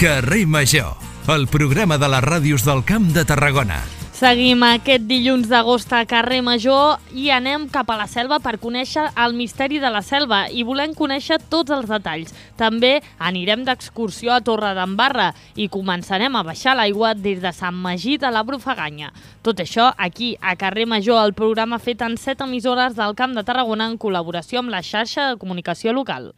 Carrer Major, el programa de les ràdios del Camp de Tarragona. Seguim aquest dilluns d'agost a Carrer Major i anem cap a la selva per conèixer el misteri de la selva i volem conèixer tots els detalls. També anirem d'excursió a Torredembarra i començarem a baixar l'aigua des de Sant Magí de la Brufaganya. Tot això aquí a Carrer Major, el programa fet en 7 emissores del Camp de Tarragona en col·laboració amb la xarxa de comunicació local.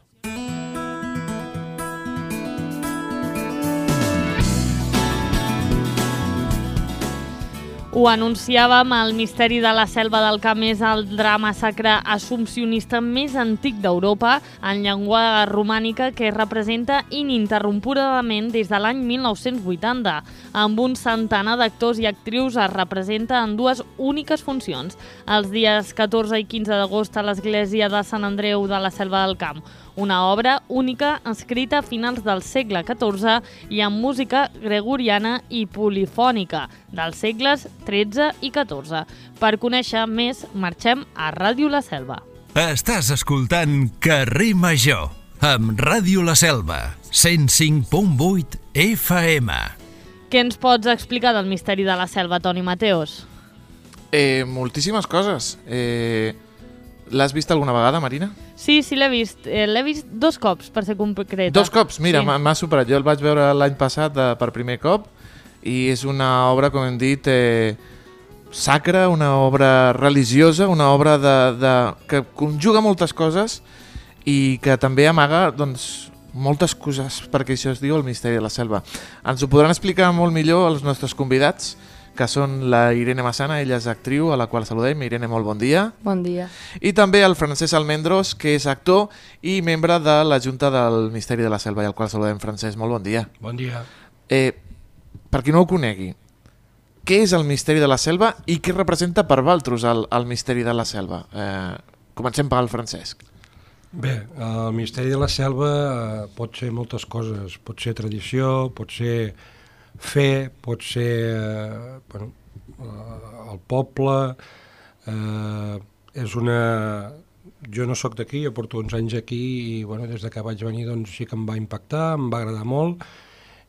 Ho anunciàvem, el misteri de la selva del Camp és el drama sacre assumpcionista més antic d'Europa en llengua romànica que es representa ininterrompudament des de l'any 1980. Amb un centenar d'actors i actrius es representa en dues úniques funcions, els dies 14 i 15 d'agost a l'església de Sant Andreu de la Selva del Camp. Una obra única escrita a finals del segle XIV i amb música gregoriana i polifònica dels segles XIII i XIV. Per conèixer més, marxem a Ràdio La Selva. Estàs escoltant Carrer Major amb Ràdio La Selva, 105.8 FM. Què ens pots explicar del misteri de la selva, Toni Mateos? Moltíssimes coses. L'has vist alguna vegada, Marina? Sí, l'he vist. L'he vist 2 cops, per ser concreta. 2 cops? Mira, sí. M'ha superat. Jo el vaig veure l'any passat per primer cop i és una obra, com hem dit, sacra, una obra religiosa, una obra que conjuga moltes coses i que també amaga moltes coses, perquè això es diu el misteri de la selva. Ens ho podran explicar molt millor els nostres convidats, que són la Irene Massana, ella és actriu, a la qual saludem. Irene, molt bon dia. Bon dia. I també el Francesc Almendros, que és actor i membre de la Junta del Misteri de la Selva, i al qual saludem. Francesc, molt bon dia. Bon dia. Per qui no ho conegui, què és el misteri de la selva i què representa per Valtros el misteri de la selva? Comencem pel Francesc. Bé, el misteri de la selva pot ser moltes coses. Pot ser tradició, pot ser fe, pot ser el poble. Jo no sóc d'aquí, jo porto uns anys aquí i des que vaig venir sí que em va impactar, em va agradar molt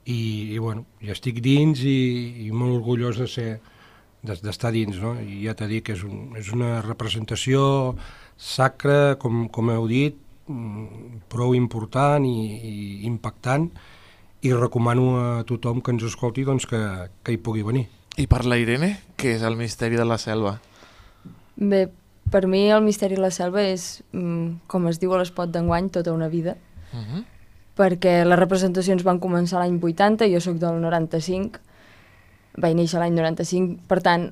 i ja estic dins i molt orgullós d'estar dins, no? I ja t'he dit que és una representació sacra, com heu dit, prou important i impactant, i recomano a tothom que ens escolti que hi pugui venir. I per la Irene, què és el misteri de la selva? Bé, per mi el misteri de la selva és, com es diu a l'espot d'enguany, tota una vida, perquè les representacions van començar l'any 80, jo sóc del 95, vaig néixer l'any 95, per tant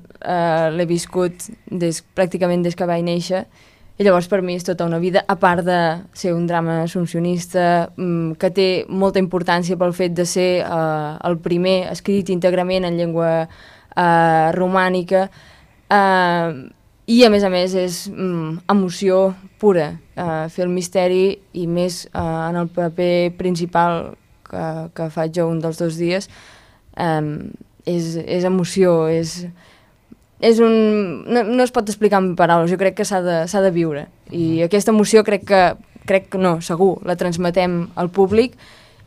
l'he viscut pràcticament des que vaig néixer, i llavors per mi és tota una vida, a part de ser un drama assumpcionista que té molta importància pel fet de ser el primer escrit íntegrament en llengua romànica, i a més és emoció pura. Fer el misteri i més en el paper principal que faig jo un dels 2 dies és emoció, no es pot explicar amb paraules, jo crec que s'ha de viure, i aquesta emoció crec que no, segur, la transmetem al públic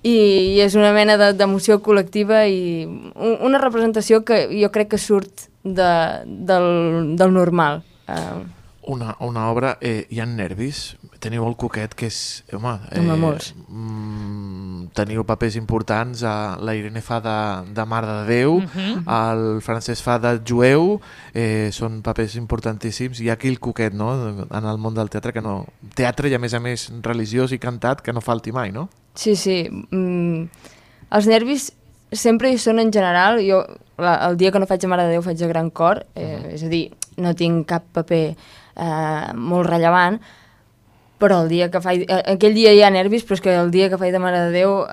i és una mena d'emoció col·lectiva i una representació que jo crec que surt del normal. Una obra, hi ha nervis? Teniu el Coquet, que és... molts. Teniu papers importants, la Irene fa de Mare de Déu, el Francesc fa de jueu, són papers importantíssims. Hi ha aquí el Coquet, no?, en el món del teatre, teatre i a més religiós i cantat, que no falti mai, no? Sí. Els nervis sempre hi són en general. Jo el dia que no faig de Mare de Déu faig de Gran Cor, és a dir, no tinc cap paper molt rellevant, però aquell dia hi ha nervis, però és que el dia que faig de Mare de Déu,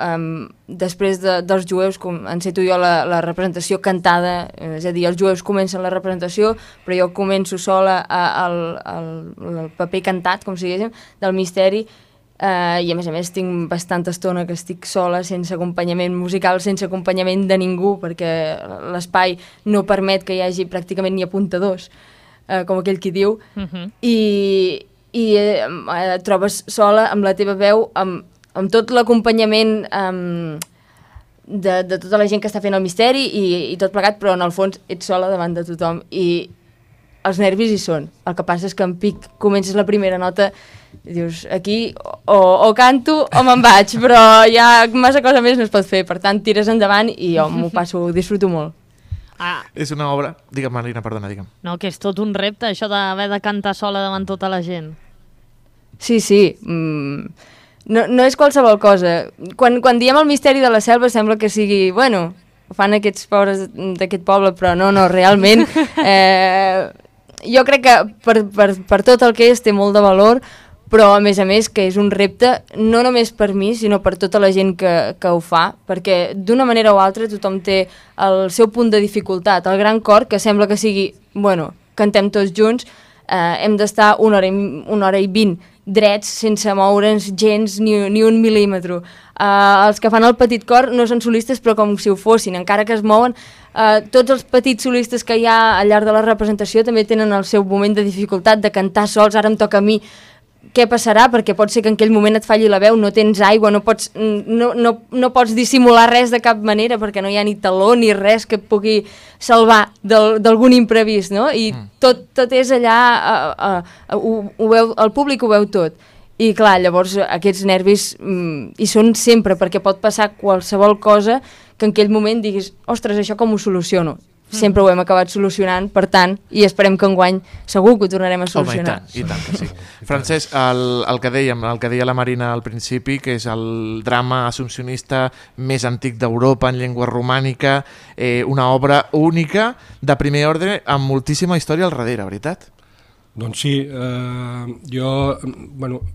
després dels jueus, enceto jo la representació cantada, és a dir, els jueus comencen la representació, però jo començo sola el paper cantat, com si diguéssim, del misteri, i a més tinc bastanta estona que estic sola, sense acompanyament musical, sense acompanyament de ningú, perquè l'espai no permet que hi hagi pràcticament ni apuntadors, com aquell qui diu, i et trobes sola amb la teva veu, amb tot l'acompanyament de tota la gent que està fent el misteri i tot plegat, però en el fons ets sola davant de tothom i els nervis hi són. El que passa és que en pic comences la primera nota i dius, aquí o canto o me'n vaig, però ja massa cosa més no es pot fer, per tant tires endavant i jo m'ho passo, ho disfruto molt. És una obra... Digue'm, Marina, perdona, digue'm. No, que és tot un repte, això d'haver de cantar sola davant tota la gent. Sí. No és qualsevol cosa. Quan diem el misteri de la selva sembla que sigui, bueno, ho fan aquests pobres d'aquest poble, però no, realment. Jo crec que per tot el que és té molt de valor, però a més que és un repte no només per mi, sinó per tota la gent que ho fa, perquè d'una manera o altra tothom té el seu punt de dificultat. El gran cor, que sembla que sigui, bueno, cantem tots junts, hem d'estar una hora i 20 drets sense moure'ns gens ni un mil·límetre. Els que fan el petit cor no són solistes però com si ho fossin, encara que es mouen. Tots els petits solistes que hi ha al llarg de la representació també tenen el seu moment de dificultat de cantar sols, ara em toca a mi. Què passarà? Perquè pot ser que en aquell moment et falli la veu, no tens aigua, no pots dissimular res de cap manera perquè no hi ha ni taló ni res que et pugui salvar d'algun imprevist, no? I tot és allà, el públic ho veu tot. I clar, llavors aquests nervis hi són sempre, perquè pot passar qualsevol cosa que en aquell moment diguis, ostres, això com ho soluciono? Sempre ho hem acabat solucionant, per tant, i esperem que enguany segur que ho tornarem a solucionar. Home, i tant que sí. Francesc, el que dèiem, el que deia la Marina al principi, que és el drama assumpcionista més antic d'Europa en llengua romànica, una obra única, de primer ordre, amb moltíssima història al darrere, veritat? Doncs sí, jo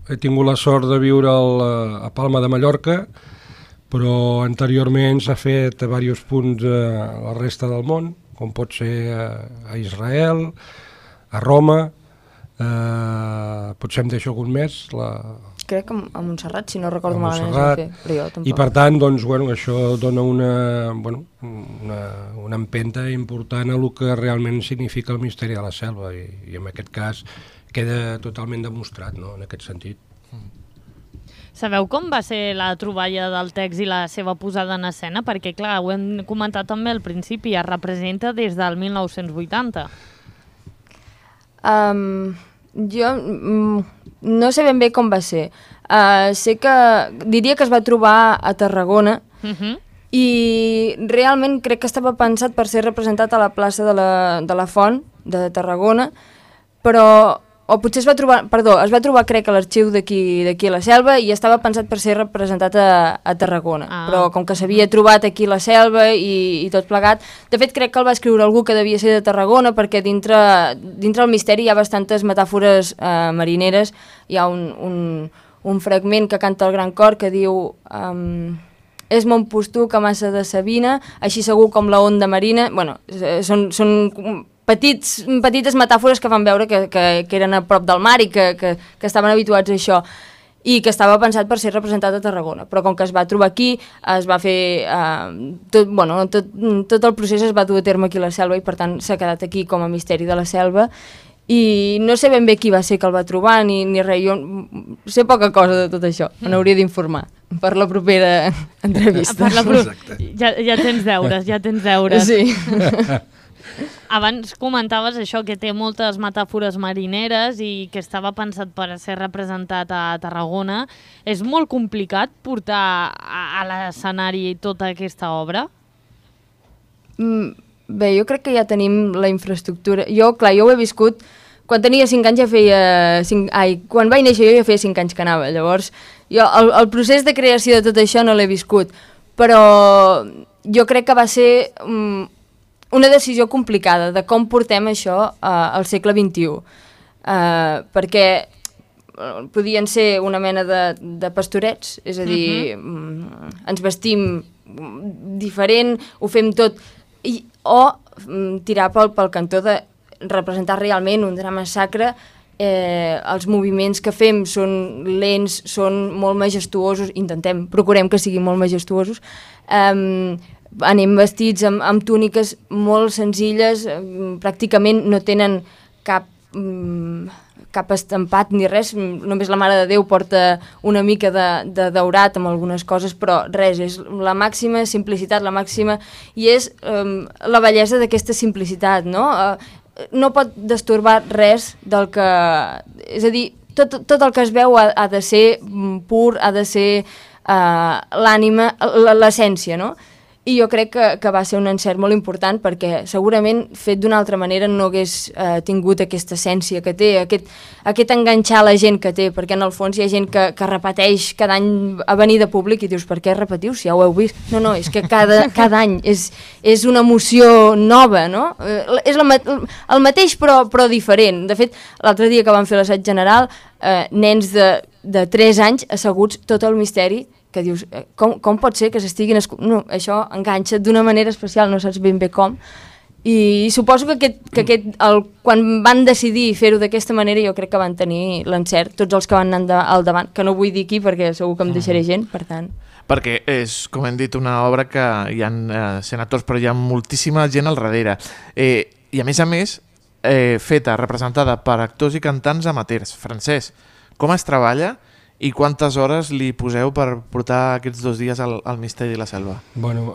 he tingut la sort de viure a Palma de Mallorca, però anteriorment s'ha fet a diversos punts a la resta del món, com pot ser a Israel, a Roma, potser em deixo algun més. Crec que a Montserrat, si no recordo malament, però jo tampoc. I per tant, doncs, això dona una empenta important a el que realment significa el misteri de la selva i en aquest cas queda totalment demostrat, no?, en aquest sentit. Sabeu com va ser la troballa del text i la seva posada en escena? Perquè, clar, ho hem comentat també al principi, es representa des del 1980. Jo no sé ben bé com va ser. Sé que diria que es va trobar a Tarragona i realment crec que estava pensat per ser representat a la plaça de la Font de Tarragona, però... o potser es va trobar crec a l'arxiu d'aquí a la Selva i estava pensat per ser representat a Tarragona, però com que s'havia trobat aquí a la Selva i tot plegat, de fet crec que el va escriure algú que devia ser de Tarragona perquè dintre el misteri hi ha bastantes metàfores marineres. Hi ha un fragment que canta el Gran Cor que diu és mon postuc a massa de Sabina, així segur com la onda marina. Bueno, són petites metàfores que van veure que eren a prop del mar i que estaven habituats a això i que estava pensat per ser representat a Tarragona, però com que es va trobar aquí es va fer tot el procés es va dur a terme aquí a la Selva i per tant s'ha quedat aquí com a misteri de la Selva i no sé ben bé qui va ser que el va trobar ni res, jo sé poca cosa de tot això, me n'hauria d'informar per la propera entrevista. Ja tens deures. Sí. Abans comentaves això, que té moltes metàfores marineres i que estava pensat per ser representat a Tarragona. És molt complicat portar a l'escenari tota aquesta obra? Bé, jo crec que ja tenim la infraestructura. Jo ho he viscut... Quan tenia 5 anys quan vaig néixer jo ja feia 5 anys que anava. Llavors, jo el procés de creació de tot això no l'he viscut. Però jo crec que va ser... una decisió complicada de com portem això al segle XXI, perquè podien ser una mena de pastorets, és a dir, ens vestim diferent, ho fem tot, o tirar pel cantó de representar realment un drama sacre. Els moviments que fem són lents, són molt majestuosos, procurem que siguin molt majestuosos, anem vestits amb túniques molt senzilles, pràcticament no tenen cap cap estampat ni res, només la Mare de Déu porta una mica de daurat amb algunes coses, però res, és la màxima simplicitat, la màxima, i és la bellesa d'aquesta simplicitat, no? No pot destorbar res del que... És a dir, tot el que es veu ha de ser pur, ha de ser l'ànima, l'essència, no? I jo crec que va ser un encert molt important perquè segurament fet d'una altra manera no hagués tingut aquesta essència que té, aquest enganxar la gent que té, perquè en el fons hi ha gent que repeteix cada any a venir de públic i dius, per què repetiu si ja ho heu vist? No, és que cada any és una emoció nova, no? És el mateix però diferent. De fet, l'altre dia que vam fer l'assaig general, nens de 3 anys asseguts tot el misteri, que dius, com pot ser que s'estiguin... No, això enganxa d'una manera especial, no saps ben bé com. I suposo que quan van decidir fer-ho d'aquesta manera, jo crec que van tenir l'encert, tots els que van anar al davant, que no vull dir aquí perquè segur que em deixaré gent, per tant... Perquè és, com hem dit, una obra que hi ha senadors, però hi ha moltíssima gent al darrere. I a més, feta, representada per actors i cantants amateurs. Francesc, com es treballa i quantes hores li poseu per portar aquests 2 dies al Misteri de la Selva? Bueno,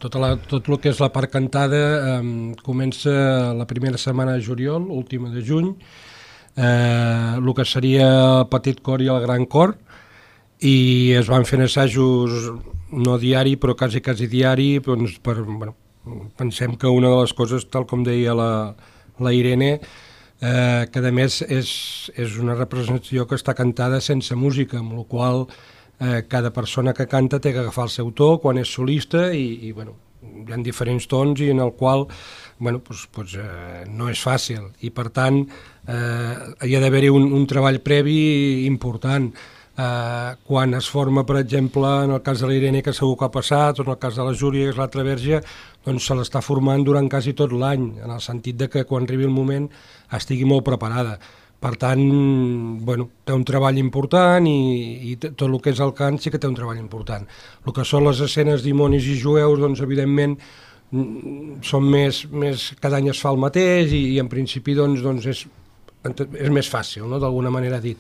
tot el que és la part cantada comença la primera setmana de juliol, última de juny, el que seria el petit cor i el gran cor, i es van fent assajos no diari però quasi diari, doncs pensem que una de les coses, tal com deia la Irene, que a més és una representació que està cantada sense música, amb la qual cada persona que canta té que agafar el seu to quan és solista i hi ha diferents tons i en el qual no és fàcil i per tant hi ha d'haver-hi un treball previ important. Quan es forma, per exemple, en el cas de l'Irene, que segur que ha passat, o en el cas de la Júlia, que és l'altra verge, doncs se l'està formant durant quasi tot l'any, en el sentit de que quan arribi el moment estigui molt preparada. Per tant, té un treball important i tot el que és el cant sí que té un treball important. El que són les escenes dimonis i jueus, doncs evidentment són més cada any es fa el mateix i en principi doncs és més fàcil, no? D'alguna manera dit.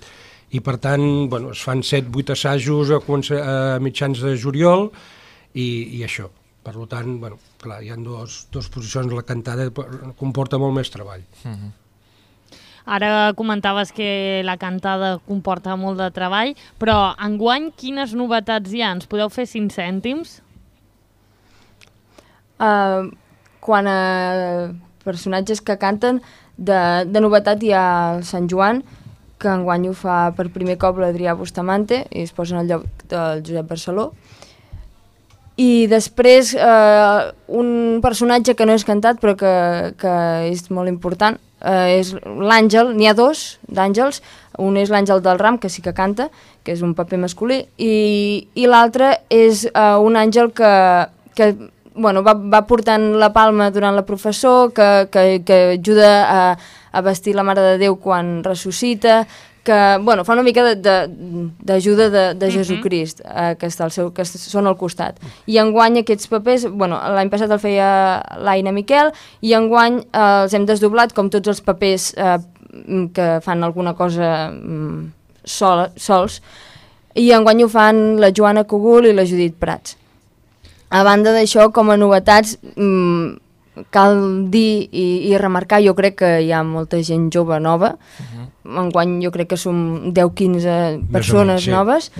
I per tant es fan 7-8 assajos a mitjans de juliol i això. Per tant, clar, hi ha dos posicions, la cantada comporta molt més treball. Ara comentaves que la cantada comporta molt de treball, però enguany quines novetats hi ha? Ens podeu fer 5 cèntims? Quan a personatges que canten, de novetat hi ha el Sant Joan, que enguany ho fa per primer cop l'Adrià Bustamante i es posa en el lloc del Josep Barceló. I després un personatge que no és cantat però que és molt important és l'Àngel. N'hi ha 2 d'àngels, un és l'Àngel del Ram, que sí que canta, que és un paper masculí, i l'altre és un àngel que va portant la palma durant la professó, que ajuda a vestir la Mare de Déu quan ressuscita, que fa una mica d'ajuda de Jesucrist, que són al costat. I enguany aquests papers, l'any passat el feia l'Aina Miquel, i enguany els hem desdoblat com tots els papers que fan alguna cosa sols, i enguany ho fan la Joana Cogul i la Judit Prats. A banda d'això, com a novetats, cal dir i remarcar, jo crec que hi ha molta gent jove nova. Enguany jo crec que som 10-15 persones noves,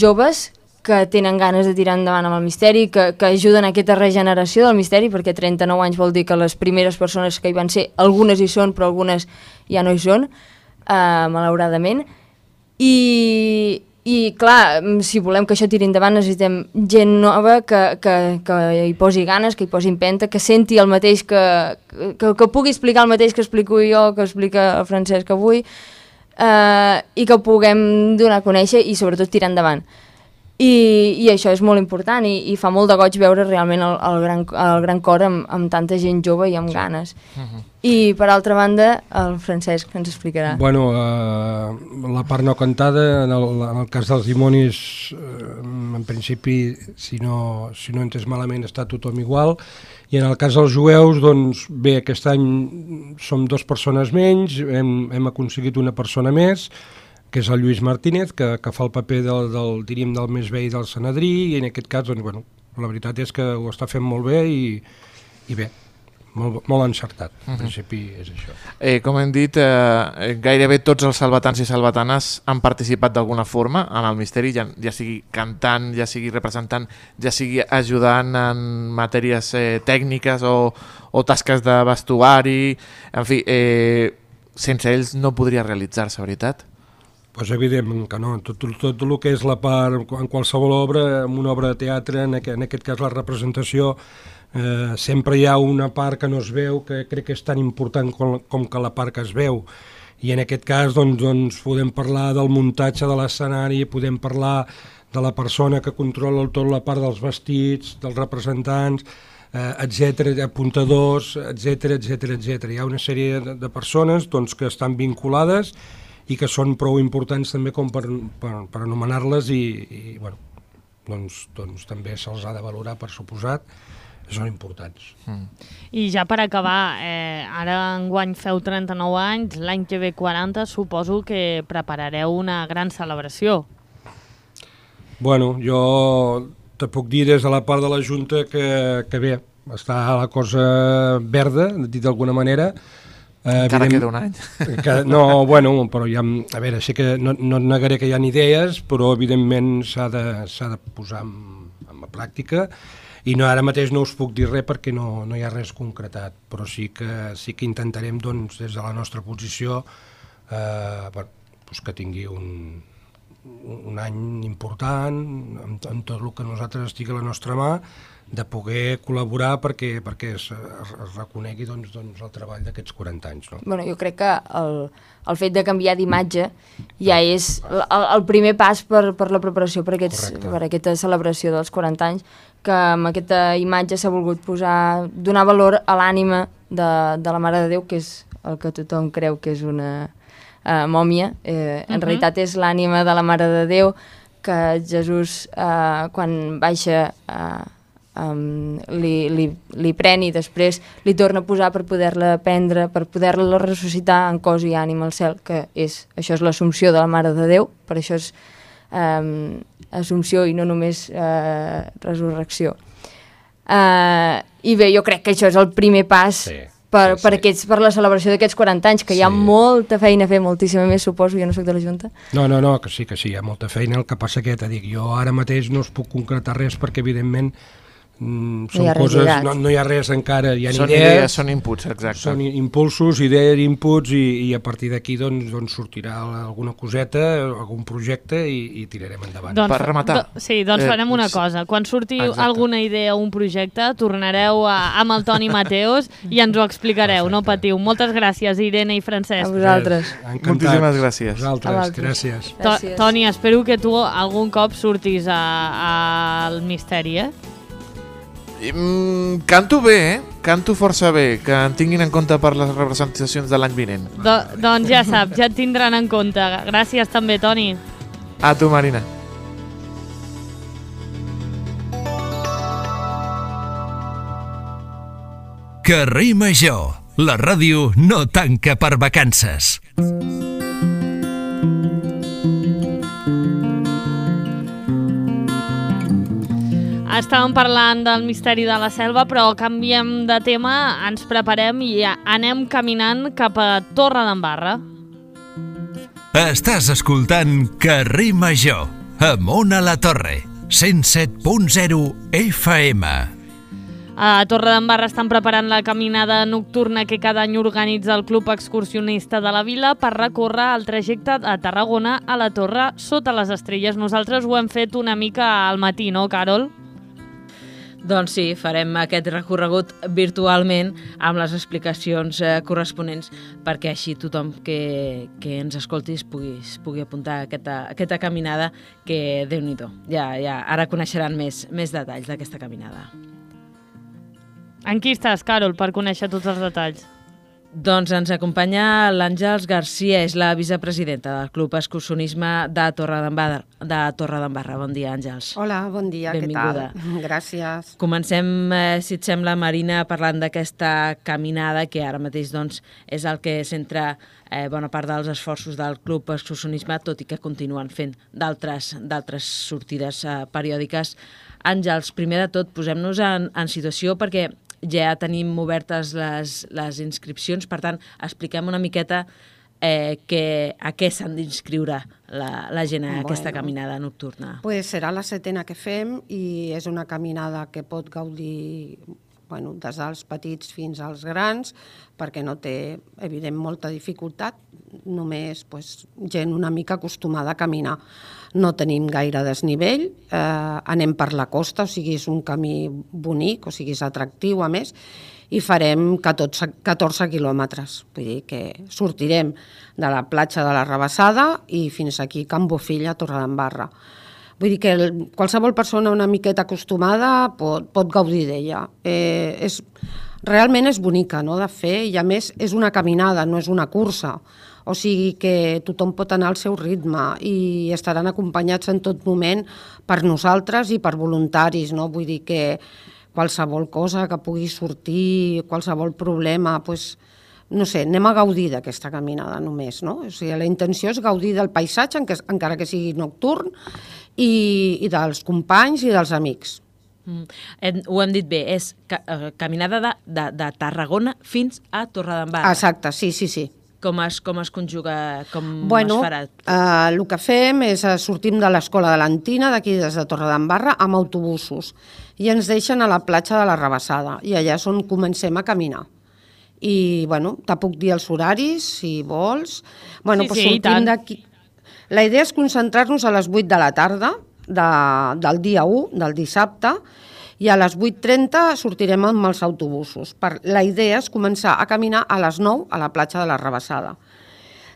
joves, que tenen ganes de tirar endavant amb el misteri, que ajuden a aquesta regeneració del misteri, perquè 39 anys vol dir que les primeres persones que hi van ser, algunes hi són, però algunes ja no hi són, malauradament. I clar, si volem que això tiri endavant necessitem gent nova que hi posi ganes, que hi posi empenta, que senti el mateix, que pugui explicar el mateix que explico jo, que explica el Francesc avui, i que ho puguem donar a conèixer i sobretot tirar endavant. I això és molt important i fa molt de goig veure realment el gran cor amb tanta gent jove i amb ganes. I per altra banda, el Francesc ens explicarà. Bueno, la part no cantada, en el cas dels dimonis, en principi, si no he entès malament, està tothom igual, i en el cas dels jueus, doncs bé, aquest any som 2 persones menys, hem aconseguit una persona més, que és el Lluís Martínez, que fa el paper diríem, del més vell del Sanedrí, i en aquest cas, doncs, bueno, la veritat és que ho està fent molt bé i bé, molt encertat. En principi és això. Com hem dit, gairebé tots els salvatans i salvatanes han participat d'alguna forma en el misteri, ja sigui cantant, ja sigui representant, ja sigui ajudant en matèries tècniques o tasques de vestuari, en fi, sense ells no podria realitzar-se, veritat? Pues evidentment que no. Tot el que és la part, en qualsevol obra, en una obra de teatre, en aquest cas la representació, sempre hi ha una part que no es veu, que crec que és tan important com que la part que es veu. I en aquest cas doncs podem parlar del muntatge de l'escenari, podem parlar de la persona que controla tota la part dels vestits, dels representants, etc, apuntadors, etc. Hi ha una sèrie de persones doncs, que estan vinculades i que són prou importants també com per anomenar-les i bueno, doncs també se'ls ha de valorar, per suposat, són importants. I ja per acabar, ara enguany feu 39 anys, l'any que ve 40, suposo que preparareu una gran celebració. Bueno, jo te puc dir des de la part de la Junta que bé, està la cosa verda, dit d'alguna manera. Encara queda un any. No, bueno, però ja, a veure, sí que no negaré que hi ha idees, però evidentment s'ha de posar en pràctica, i ara mateix no us puc dir res perquè no hi ha res concretat, però sí que intentarem doncs, des de la nostra posició que tingui un any important en tot el que nosaltres estigui a la nostra mà, de poder col·laborar perquè es reconegui doncs, el treball d'aquests 40 anys. No? Bueno, jo crec que el fet de canviar d'imatge ja és el primer pas per la preparació per aquesta celebració dels 40 anys, que amb aquesta imatge s'ha volgut donar valor a l'ànima de la Mare de Déu, que és el que tothom creu que és una mòmia. En realitat és l'ànima de la Mare de Déu, que Jesús, quan baixa, li pren i després li torna a posar per poder-la prendre, per poder-la ressuscitar en cos i ànima al cel, que això és l'Assumpció de la Mare de Déu, per això és Assumpció i no només resurrecció. I bé, jo crec que això és el primer pas per la celebració d'aquests 40 anys, que hi ha molta feina a fer, moltíssima més, suposo, jo no soc de la Junta. No, que sí, hi ha molta feina, el que passa que, jo ara mateix no us puc concretar res perquè, evidentment, són coses, no hi ha res encara, hi ha idees, són inputs, exacte. Són impulsos, idees, inputs, i a partir d'aquí doncs sortirà alguna coseta, algun projecte i tirarem endavant. Per rematar. Sí, doncs farem una cosa, quan surti alguna idea o un projecte, tornareu amb el Toni Mateos i ens ho explicareu, no patiu. Moltes gràcies, Irene i Francesc. A vosaltres. Moltíssimes gràcies. A vosaltres, gràcies. Toni, espero que tu algun cop surtis al misteri, Canto bé, canto força bé, que em tinguin en compte per les representacions de l'any vinent. Doncs ja saps, ja et tindran en compte. Gràcies també, Toni. A tu, Marina. Carrer Major, la ràdio no tanca per vacances. Estàvem parlant del misteri de la selva, però canviem de tema, ens preparem i anem caminant cap a Torredembarra. Estàs escoltant Carrer Major, amb Ona La Torre, 107.0 FM. A Torredembarra estan preparant la caminada nocturna que cada any organitza el Club Excursionista de la Vila per recórrer el trajecte a Tarragona a la Torre sota les estrelles. Nosaltres ho hem fet una mica al matí, no, Carol? Doncs sí, farem aquest recorregut virtualment amb les explicacions corresponents perquè així tothom que ens escolti pugui apuntar aquesta caminada que, Déu-n'hi-do, ja ara coneixeran més detalls d'aquesta caminada. En qui estàs, Carol, per conèixer tots els detalls? Doncs ens acompanya l'Àngels Garcia, és la vicepresidenta del Club Excursionisme de Torredembarra. Bon dia, Àngels. Hola, bon dia, benvinguda. Què tal? Gràcies. Comencem, si et sembla, Marina, parlant d'aquesta caminada que ara mateix doncs, és el que centra bona part dels esforços del Club Excursionisme, tot i que continuen fent d'altres sortides periòdiques. Àngels, primer de tot, posem-nos en situació perquè ja tenim obertes les inscripcions, per tant, expliquem una miqueta a què s'han d'inscriure la gent a aquesta caminada nocturna. Pues serà la 7ª que fem i és una caminada que pot gaudir des dels petits fins als grans, perquè no té, evident, molta dificultat, només gent una mica acostumada a caminar. No tenim gaire desnivell, anem per la costa, o sigui, és un camí bonic, o sigui, és atractiu, a més, i farem 14 quilòmetres. Vull dir que sortirem de la platja de la Rabassada i fins aquí, Can Bofill, a Torredembarra. Vull dir que qualsevol persona una miqueta acostumada pot gaudir d'ella. Realment és bonica, no?, de fer, i a més és una caminada, no és una cursa. O sigui que tothom pot anar al seu ritme i estaran acompanyats en tot moment per nosaltres i per voluntaris, no? Vull dir que qualsevol cosa que pugui sortir, qualsevol problema, no sé, anem a gaudir d'aquesta caminada només, no? O sigui, la intenció és gaudir del paisatge, encara que sigui nocturn, i dels companys i dels amics. Ho hem dit bé, és caminada de Tarragona fins a Torredembarra. Exacte, sí. Com es conjuga, com es farà? El que fem és sortim de l'escola de l'Antina, d'aquí des de Torredembarra, amb autobusos, i ens deixen a la platja de la Rabassada, i allà és on comencem a caminar. I, te puc dir els horaris, si vols. Sortim d'aquí. La idea és concentrar-nos a les 8 de la tarda del dia 1, del dissabte, i a les 8:30 sortirem amb els autobusos. La idea és començar a caminar a les 9 a la platja de la Rabassada.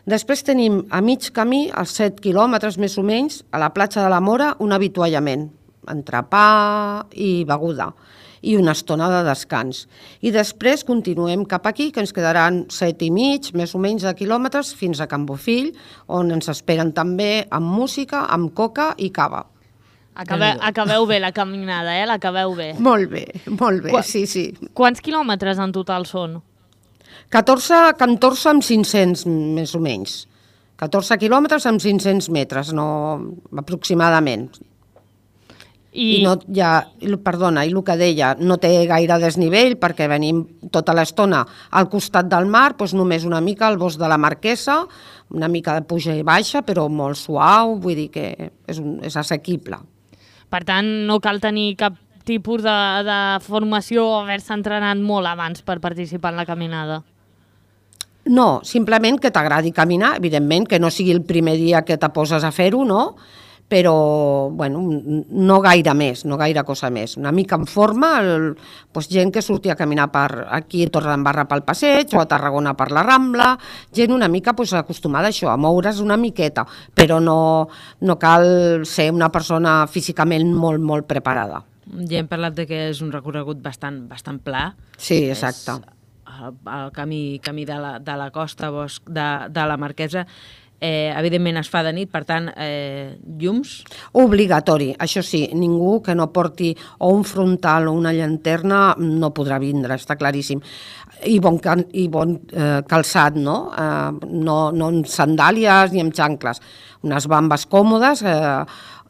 Després tenim a mig camí, als 7 quilòmetres més o menys, a la platja de la Mora, un avituallament, entrepà i beguda, i una estona de descans. I després continuem cap aquí, que ens quedaran 7 i mig, més o menys, de quilòmetres, fins a Can Bofill, on ens esperen també amb música, amb coca i cava. Acabeu bé la caminada, l'acabeu bé. Molt bé, sí. Quants quilòmetres en total són? 14 amb 500, més o menys. 14 quilòmetres amb 500 metres, aproximadament. I el que deia, no té gaire desnivell perquè venim tota l'estona al costat del mar, només una mica al bosc de la Marquesa, una mica de puja i baixa, però molt suau, vull dir que és assequible. Per tant, no cal tenir cap tipus de formació o haver-se entrenat molt abans per participar en la caminada. No, simplement que t'agradi caminar, evidentment, que no sigui el primer dia que te poses a fer-ho, no? Però, no gaire més, no gaire cosa més. Una mica en forma, gent que surti a caminar aquí a Torredembarra pel passeig o a Tarragona per la Rambla, gent una mica acostumada a això, a moure's una miqueta, però no cal ser una persona físicament molt, molt preparada. Ja hem parlat que és un recorregut bastant pla. Sí, exacte. El camí de la costa, bosc de la Marquesa, evidentment es fa de nit, per tant, llums? Obligatori, això sí, ningú que no porti o un frontal o una llanterna no podrà vindre, està claríssim. I bon calçat, no? No amb sandàlies ni amb xancles, unes bambes còmodes,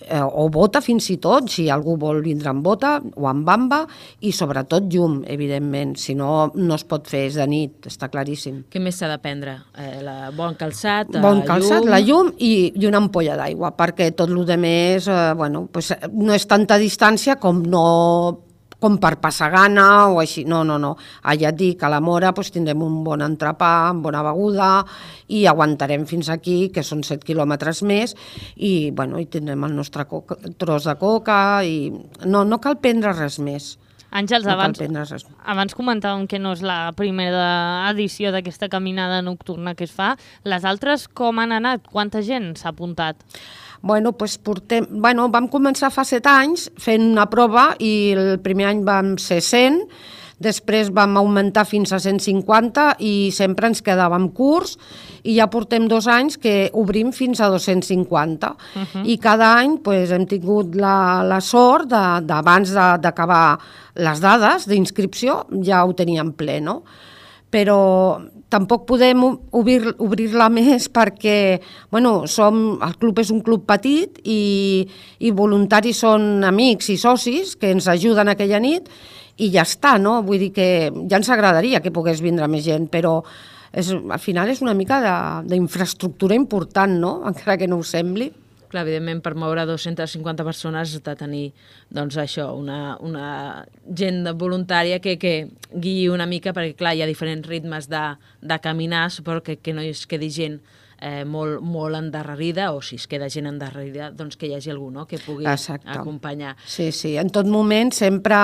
o bota fins i tot, si algú vol vindre amb bota o amb bamba, i sobretot llum, evidentment, si no, no es pot fer, és de nit, està claríssim. Què més s'ha de prendre? Bon calçat, bon calçat, la llum i una ampolla d'aigua, perquè tot el que més no és tanta distància com per passar gana o així, no. Allà et dic, a la Mora tindrem un bon entrepà, amb bona beguda, i aguantarem fins aquí, que són 7 quilòmetres més, i tindrem el nostre tros de coca, i no cal prendre res més. Àngels, no cal prendre res. abans comentàvem que no és la primera edició d'aquesta caminada nocturna que es fa. Les altres com han anat? Quanta gent s'ha apuntat? Bueno, doncs vam començar fa 7 anys fent una prova i el primer any vam ser 100, després vam augmentar fins a 150 i sempre ens quedàvem curts i ja portem 2 anys que obrim fins a 250. I cada any hem tingut la sort d'abans d'acabar les dades d'inscripció ja ho teníem ple, no? Però tampoc podem obrir-la més perquè el club és un club petit i voluntaris són amics i socis que ens ajuden aquella nit i ja està, no? Vull dir que ja ens agradaria que pogués vindre més gent, però al final és una mica d'infraestructura important, no? Encara que no ho sembli. Clar, evidentment, per moure 250 persones has de tenir, doncs, això, una gent voluntària que guiï una mica, perquè, clar, hi ha diferents ritmes de caminar, suposo que no es quedi gent molt endarrerida, o si es queda gent endarrerida, doncs que hi hagi algú, no?, que pugui acompanyar. Sí, en tot moment sempre,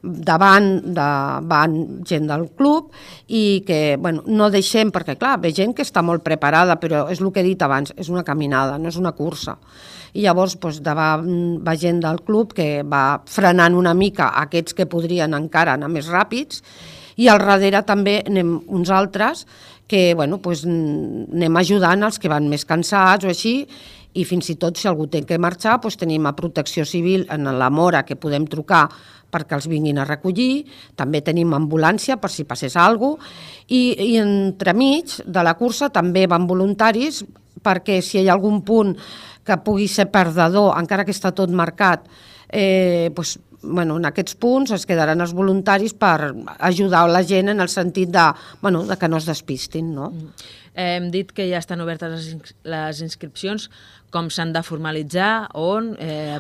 davant van gent del club i que, no deixem, perquè clar, ve gent que està molt preparada, però és el que he dit abans, és una caminada, no és una cursa. I llavors davant va gent del club que va frenant una mica aquests que podrien encara anar més ràpids i al darrere també anem uns altres que anem ajudant els que van més cansats o així, i fins i tot si algú té que marxar tenim a Protecció Civil en la Mora que podem trucar perquè els vinguin a recollir, també tenim ambulància per si passés alguna cosa, i entremig de la cursa també van voluntaris perquè si hi ha algun punt que pugui ser perdedor, encara que està tot marcat, en aquests punts es quedaran els voluntaris per ajudar la gent en el sentit de que no es despistin, no? Hem dit que ja estan obertes les inscripcions. Com s'han de formalitzar? On?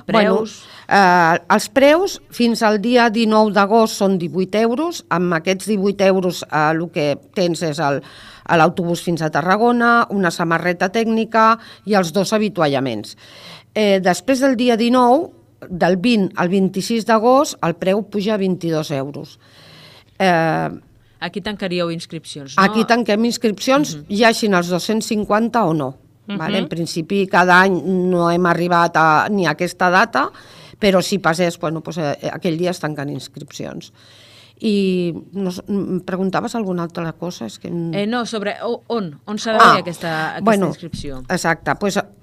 Preus? Els preus fins al dia 19 d'agost són 18 euros. Amb aquests 18 euros el que tens és l'autobús fins a Tarragona, una samarreta tècnica i els 2 avituallaments. Després del dia 19, del 20 al 26 d'agost, el preu puja a 22 euros. Aquí tancaríeu inscripcions, no? Aquí tanquem inscripcions, hi hagin els 250 o no. En principi, cada any no hem arribat ni a aquesta data, però si passés, aquell dia es tanquen inscripcions. I em preguntaves alguna altra cosa? No, sobre on s'ha de fer aquesta inscripció. Exacte,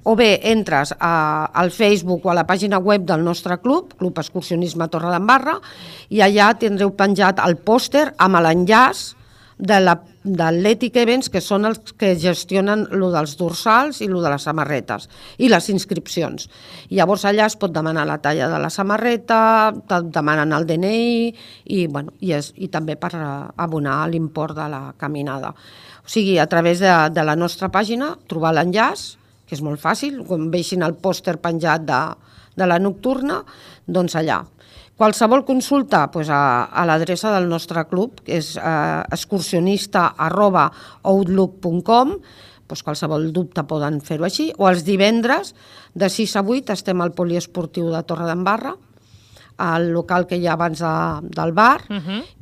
o bé entres al Facebook o a la pàgina web del nostre club, Club Excursionisme Torredembarra, i allà tindreu penjat el pòster amb l'enllaç de l'Athletic Events, que són els que gestionen lo dels dorsals i lo de les samarretes i les inscripcions. I llavors allà es pot demanar la talla de la samarreta, demanen el DNI i també per abonar l'import de la caminada. O sigui, a través de la nostra pàgina, trobar l'enllaç, que és molt fàcil, quan veixin el pòster penjat de la nocturna, doncs allà. Qualsevol consulta a l'adreça del nostre club, que és excursionista@outlook.com, qualsevol dubte poden fer-ho així, o els divendres de 6 a 8 estem al poliesportiu de Torredembarra, al local que hi ha abans del bar,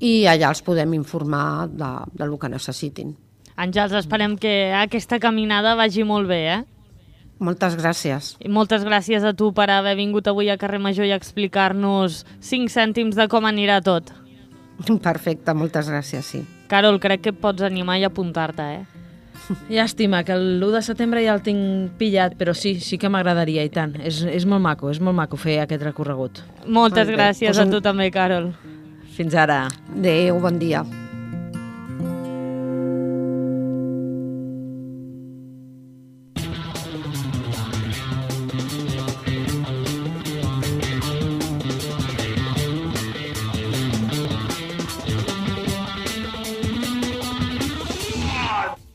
i allà els podem informar del que necessitin. Àngels, esperem que aquesta caminada vagi molt bé, Moltes gràcies. I moltes gràcies a tu per haver vingut avui a Carrer Major i explicar-nos 5 cèntims de com anirà tot. Perfecte, moltes gràcies, sí. Carol, crec que et pots animar i apuntar-te, Llàstima, que l'1 de setembre ja el tinc pillat, però sí que m'agradaria, i tant. És molt maco fer aquest recorregut. Moltes gràcies a tu també, Carol. Fins ara. Adéu, bon dia.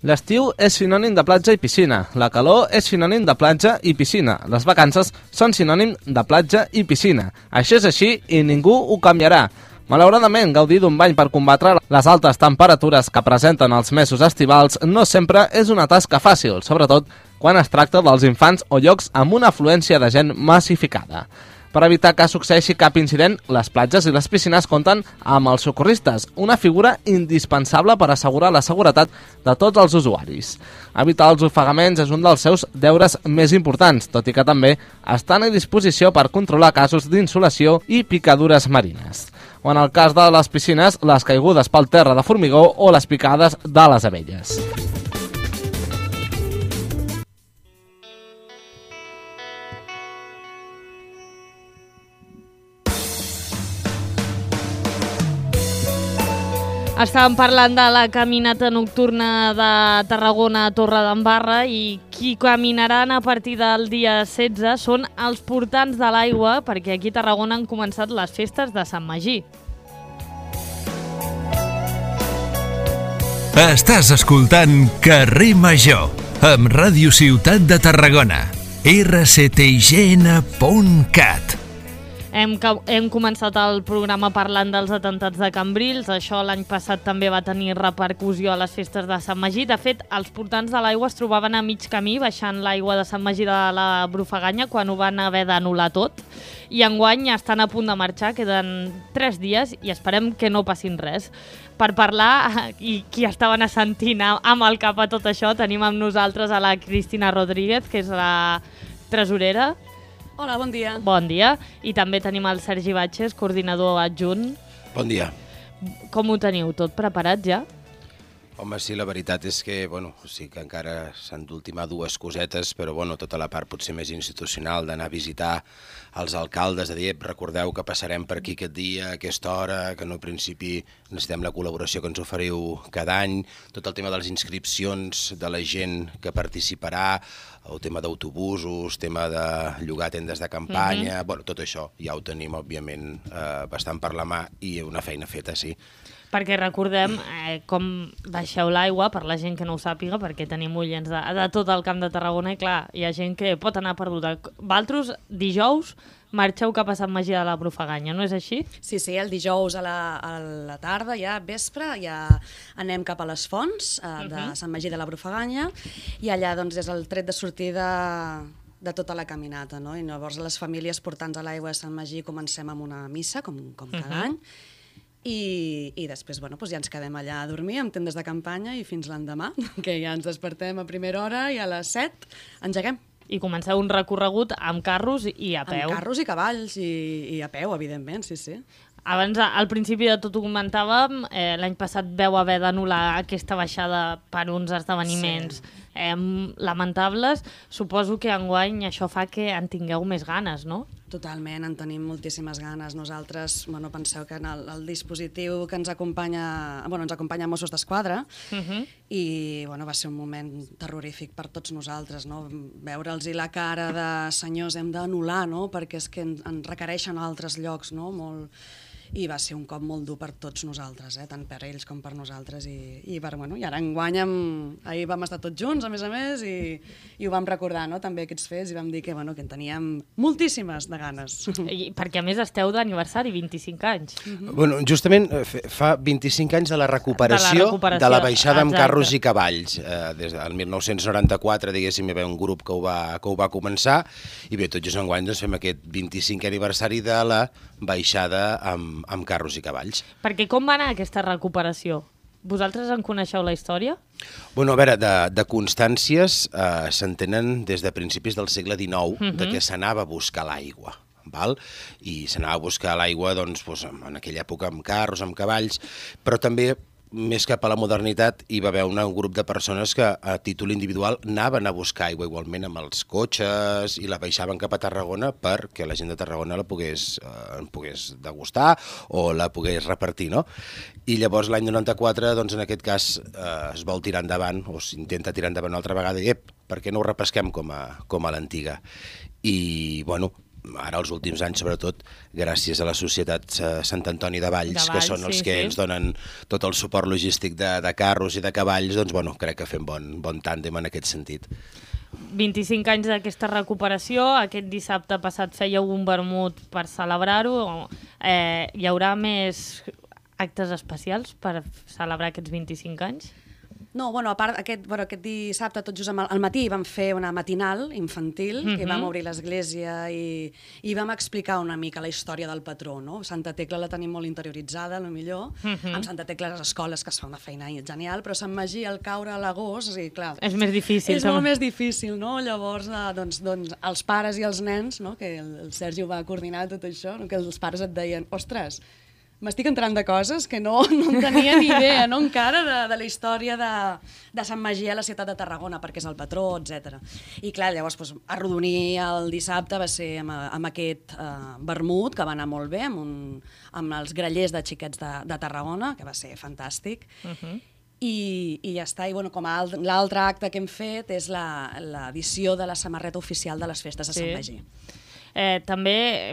L'estiu és sinònim de platja i piscina, la calor és sinònim de platja i piscina, les vacances són sinònim de platja i piscina. Això és així i ningú ho canviarà. Malauradament, gaudir d'un bany per combatre les altes temperatures que presenten els mesos estivals no sempre és una tasca fàcil, sobretot quan es tracta dels infants o llocs amb una afluència de gent massificada. Per evitar que succeeixi cap incident, les platges i les piscines compten amb els socorristes, una figura indispensable per assegurar la seguretat de tots els usuaris. Evitar els ofegaments és un dels seus deures més importants, tot i que també estan a disposició per controlar casos d'insolació i picadures marines. O en el cas de les piscines, les caigudes pel terra de formigó o les picades de les abelles. Estàvem parlant de la caminata nocturna de Tarragona a Torredembarra i qui caminaran a partir del dia 16 són els portants de l'aigua, perquè aquí a Tarragona han començat les festes de Sant Magí. Estàs escoltant Carrer Major, amb Ràdio Ciutat de Tarragona, rctign.cat. Hem començat el programa parlant dels atemptats de Cambrils. Això l'any passat també va tenir repercussió a les festes de Sant Magí. De fet, els portants de l'aigua es trobaven a mig camí baixant l'aigua de Sant Magí de la Brufaganya quan ho van haver d'anul·lar tot. I enguany estan a punt de marxar, queden 3 dies i esperem que no passin res. Per parlar, i qui estaven assentint amb el cap a tot això, tenim amb nosaltres a la Cristina Rodríguez, que és la tresorera. Hola, bon dia. Bon dia. I també tenim el Sergi Batxes, coordinador adjunt. Bon dia. Com ho teniu? Tot preparat ja? Home, sí, la veritat és que, sí que encara s'han d'ultimar 2 cosetes, però, tota la part potser més institucional d'anar a visitar els alcaldes, de dir, recordeu que passarem per aquí aquest dia, a aquesta hora, que en principi necessitem la col·laboració que ens oferiu cada any, tot el tema de les inscripcions de la gent que participarà, el tema d'autobusos, tema de llogar tendes de campanya, tot això ja ho tenim, òbviament, bastant per la mà i una feina feta, sí. Perquè recordem com baixeu l'aigua, per la gent que no ho sàpiga, perquè tenim oients de tot el Camp de Tarragona i clar, hi ha gent que pot anar perduda. Vosaltres, dijous, marxeu cap a Sant Magí de la Brufaganya, no és així? Sí, el dijous a la tarda, ja vespre, ja anem cap a les fonts de Sant Magí de la Brufaganya i allà doncs és el tret de sortida de tota la caminata, no? I llavors les famílies portants a l'aigua de Sant Magí comencem amb una missa, com cada any, i després ja ens quedem allà a dormir amb tendes de campanya i fins l'endemà, que ja ens despertem a primera hora i a les 7 engeguem. I comenceu un recorregut amb carros i a peu. Amb carros i cavalls i a peu, evidentment, sí. Abans, al principi de tot ho comentàvem, l'any passat veu haver d'anul·lar aquesta baixada per uns esdeveniments lamentables. Suposo que enguany això fa que en tingueu més ganes, no? Totalment, en tenim moltíssimes ganes. Nosaltres, penseu que en el dispositiu que ens acompanya Mossos d'Esquadra i va ser un moment terrorífic per tots nosaltres, no? Veure'ls la cara de senyors hem d'anul·lar, no? Perquè és que en requereixen a altres llocs, no? I va ser un cop molt dur per tots nosaltres, tant per ells com per nosaltres. I ara enguany ahir vam estar tots junts, a més, i ho vam recordar, no? També aquests fets, i vam dir que en teníem moltíssimes de ganes. Perquè a més esteu d'aniversari, 25 anys. Justament fa 25 anys de la recuperació de la baixada amb carros i cavalls. Des del 1994, diguéssim, hi va haver un grup que ho va començar, i bé, tot just enguany fem aquest 25 aniversari de la baixada amb carros i cavalls. Perquè com va anar aquesta recuperació? Vosaltres en coneixeu la història? A veure, de constàncies s'entenen des de principis del segle XIX de què s'anava a buscar l'aigua. I s'anava a buscar l'aigua en aquella època amb carros, amb cavalls, però també més cap a la modernitat hi va haver un grup de persones que a títol individual anaven a buscar aigua igualment amb els cotxes i la baixaven cap a Tarragona perquè la gent de Tarragona la pogués degustar o la pogués repartir, no? I llavors l'any 94, en aquest cas, es vol tirar endavant o s'intenta tirar endavant una altra vegada i per què no ho repesquem com a l'antiga? I, ara els últims anys, sobretot, gràcies a la Societat Sant Antoni de Valls, que són els que ens donen tot el suport logístic de carros i de cavalls, crec que fem bon tàndem en aquest sentit. 25 anys d'aquesta recuperació, aquest dissabte passat fèieu un vermut per celebrar-ho. Hi haurà més actes especials per celebrar aquests 25 anys? No, a part, aquest dissabte, tot just al matí, vam fer una matinal infantil, que vam obrir l'església i vam explicar una mica la història del patró, no? Santa Tecla la tenim molt interioritzada, millor. Amb Santa Tecla les escoles, que es fa una feina genial, però Sant Magí, al caure a l'agost, clar... És més difícil. És molt més difícil, no? Llavors, els pares i els nens, no? Que el Sergi ho va coordinar tot això, que els pares et deien, ostres, m'estic entrant de coses que no en tenia ni idea, no, encara, de la història de Sant Magí a la ciutat de Tarragona, perquè és el patró, etc. I clar, llavors, arrodonir el dissabte va ser amb aquest vermut, que va anar molt bé, amb els grallers de xiquets de Tarragona, que va ser fantàstic. I ja està. I com l'altre acte que hem fet és l'edició de la samarreta oficial de les festes de Sant Magí. També,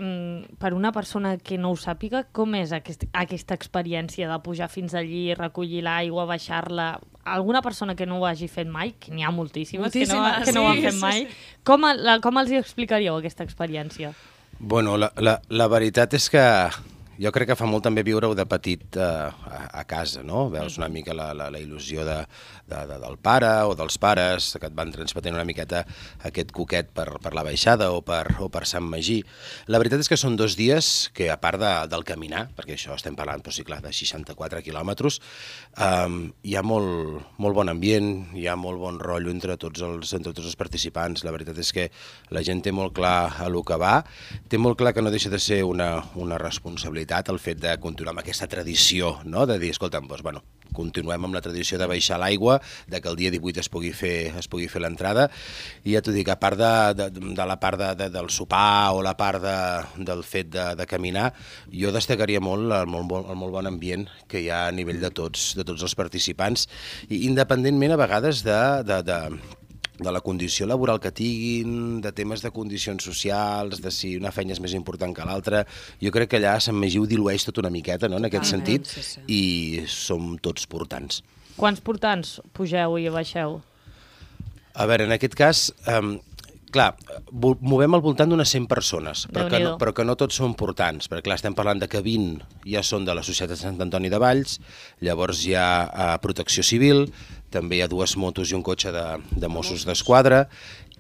per una persona que no ho sàpiga, com és aquesta experiència de pujar fins allí, recollir l'aigua, baixar-la? Alguna persona que no ho hagi fet mai, que n'hi ha moltíssimes que no ho han fet mai, com els hi explicaríeu aquesta experiència? Bueno, la veritat és que jo crec que fa molt també viure-ho de petit a casa, no? Veus una mica la il·lusió del pare o dels pares que et van transmetent una miqueta aquest coquet per la baixada o per Sant Magí. La veritat és que són 2 dies que, a part del caminar, perquè això estem parlant, però sí, clar, de 64 quilòmetres, hi ha molt bon ambient, hi ha molt bon rotllo entre tots els participants. La veritat és que la gent té molt clar a lo que va, té molt clar que no deixa de ser una responsabilitat el fet de continuar amb aquesta tradició, no? De dir, escolta'm, continuem amb la tradició de baixar l'aigua, de que el dia 18 es pugui fer l'entrada, i ja t'ho dic, a part de la part del sopar o la part del fet de caminar, jo destacaria molt el molt bon ambient que hi ha a nivell de tots els participants, i independentment a vegades de la condició laboral que tinguin, de temes de condicions socials, de si una feina és més important que l'altra. Jo crec que allà Sant Magí ho dilueix tot una miqueta, no?, en aquest sentit, i som tots portants. Quants portants pugeu i baixeu? A veure, en aquest cas, clar, movem al voltant d'unes 100 persones, però que no tots són portants, perquè clar, estem parlant de que 20 ja són de la Societat de Sant Antoni de Valls, llavors hi ha Protecció Civil, també hi ha 2 motos i un cotxe de Mossos d'Esquadra,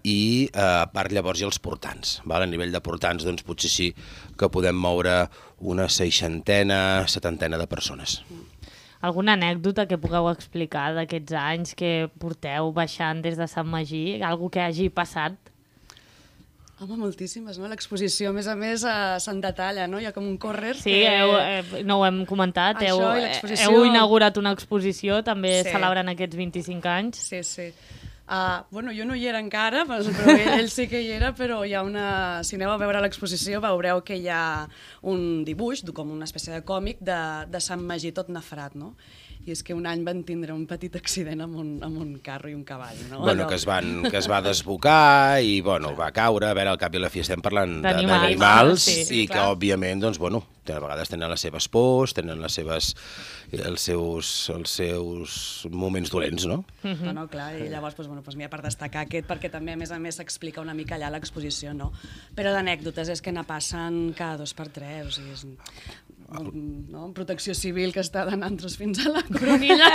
i a part llavors hi ha els portants. A nivell de portants, doncs potser sí que podem moure una 60, 70 de persones. Alguna anècdota que pugueu explicar d'aquests anys que porteu baixant des de Sant Magí? Algo que hagi passat? Home, moltíssimes, no? L'exposició, a més, se'n detalla, no? Hi ha com un córrer. Sí, no ho hem comentat. Heu inaugurat una exposició, també celebrant aquests 25 anys. Sí. Bueno, jo no hi era encara, però ell sí que hi era, però hi ha si aneu a veure l'exposició veureu que hi ha un dibuix, com una espècie de còmic, de Sant Magí tot nafrat, no? I és que un any van tindre un petit accident amb un carro i un cavall, no? Bueno, que es va desbocar i, va caure. A veure, al cap i a la fi estem parlant d'animals i que, òbviament, doncs, a vegades tenen les seves pors, tenen els seus moments dolents, no? No, clar, i llavors, n'hi ha per destacar aquest, perquè també, a més, s'explica una mica allà a l'exposició, no? Però d'anècdotes és que ne passen cada 2 per 3, o sigui, és Protecció Civil que està donant fins a la coronilla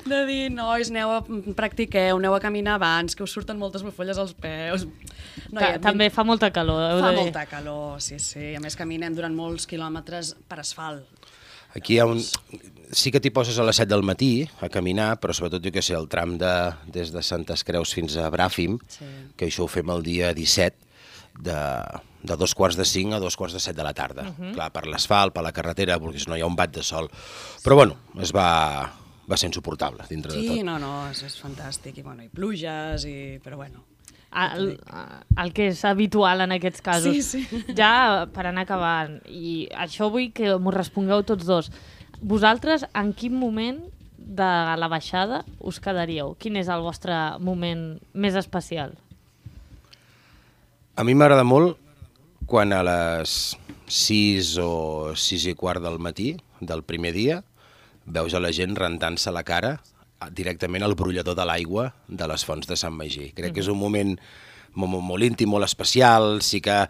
de dir, nois, practiqueu, aneu a caminar abans, que us surten moltes bufolles als peus. També fa molta calor. Fa molta calor, sí. A més, caminem durant molts quilòmetres per asfalt. Aquí hi ha sí que t'hi poses a les 7 del matí a caminar, però sobretot, jo què sé, el tram des de Santes Creus fins a Bràfim, que això ho fem el dia 17, de 2:45 a 2:45 de la tarda. Clar, per l'asfalt, per la carretera, perquè si no hi ha un bat de sol. Però bueno, va ser insuportable dintre de tot. Sí, no, és fantàstic. I pluges, però bueno. El que és habitual en aquests casos. Sí. Ja per anar acabant, i això vull que m'ho respongueu tots dos. Vosaltres, en quin moment de la baixada us quedaríeu? Quin és el vostre moment més especial? A mi m'agrada molt quan a les 6 o 6:15 del matí del primer dia veus a la gent rentant-se la cara directament al brollador de l'aigua de les fonts de Sant Magí. Crec que és un moment molt íntim, molt especial, sí que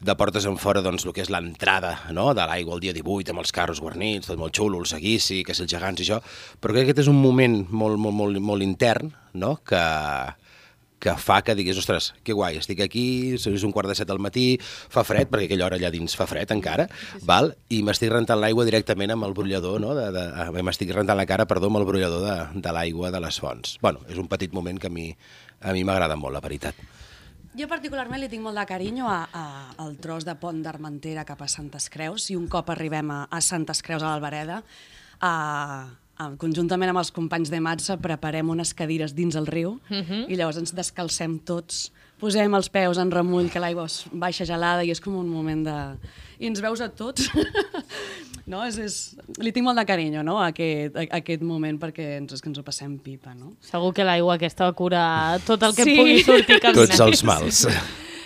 de portes en fora doncs, el que és l'entrada, no?, de l'aigua el dia 18, amb els carros guarnits, tot molt xulo, el seguici, que si els gegants i això, però crec que aquest és un moment molt intern, no?, que fa que diguis, ostres, que guai, estic aquí, és 7:15 del matí, fa fred, perquè aquella hora allà dins fa fred encara, val? I m'estic rentant l'aigua directament amb el brollador, no? M'estic rentant la cara, perdó, amb el brollador de l'aigua de les fonts. Bueno, és un petit moment que a mi m'agrada molt, la veritat. Jo particularment li tinc molt de carinyo al tros de pont d'Armentera cap a Santes Creus, i un cop arribem a Santes Creus, a l'Albereda, conjuntament amb els companys de Matza preparem unes cadires dins el riu i llavors ens descalcem tots, posem els peus en remull, que l'aigua baixa gelada i és com un moment de... I ens veus a tots. No? Li tinc molt de carinyo, no?, a aquest moment, perquè ens ho passem pipa. No? Segur que l'aigua aquesta cura tot el que pugui sortir caminant. Tots els mals.